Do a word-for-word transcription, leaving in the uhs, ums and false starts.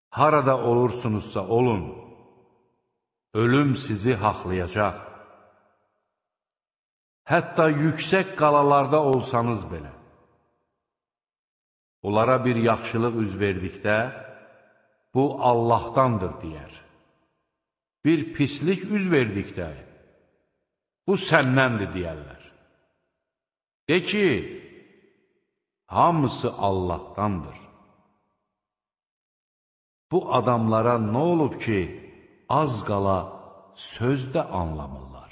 Harada olursunuzsa olun, ölüm sizi haqlayacaq. Hətta yüksək qalalarda olsanız belə. Onlara bir yaxşılıq üz verdikdə, bu Allahdandır deyər. Bir pislik üz verdikdə, bu səndəndir deyərlər. De ki, hamısı Allahdandır. Bu adamlara nə olub ki, az qala sözdə anlamırlar?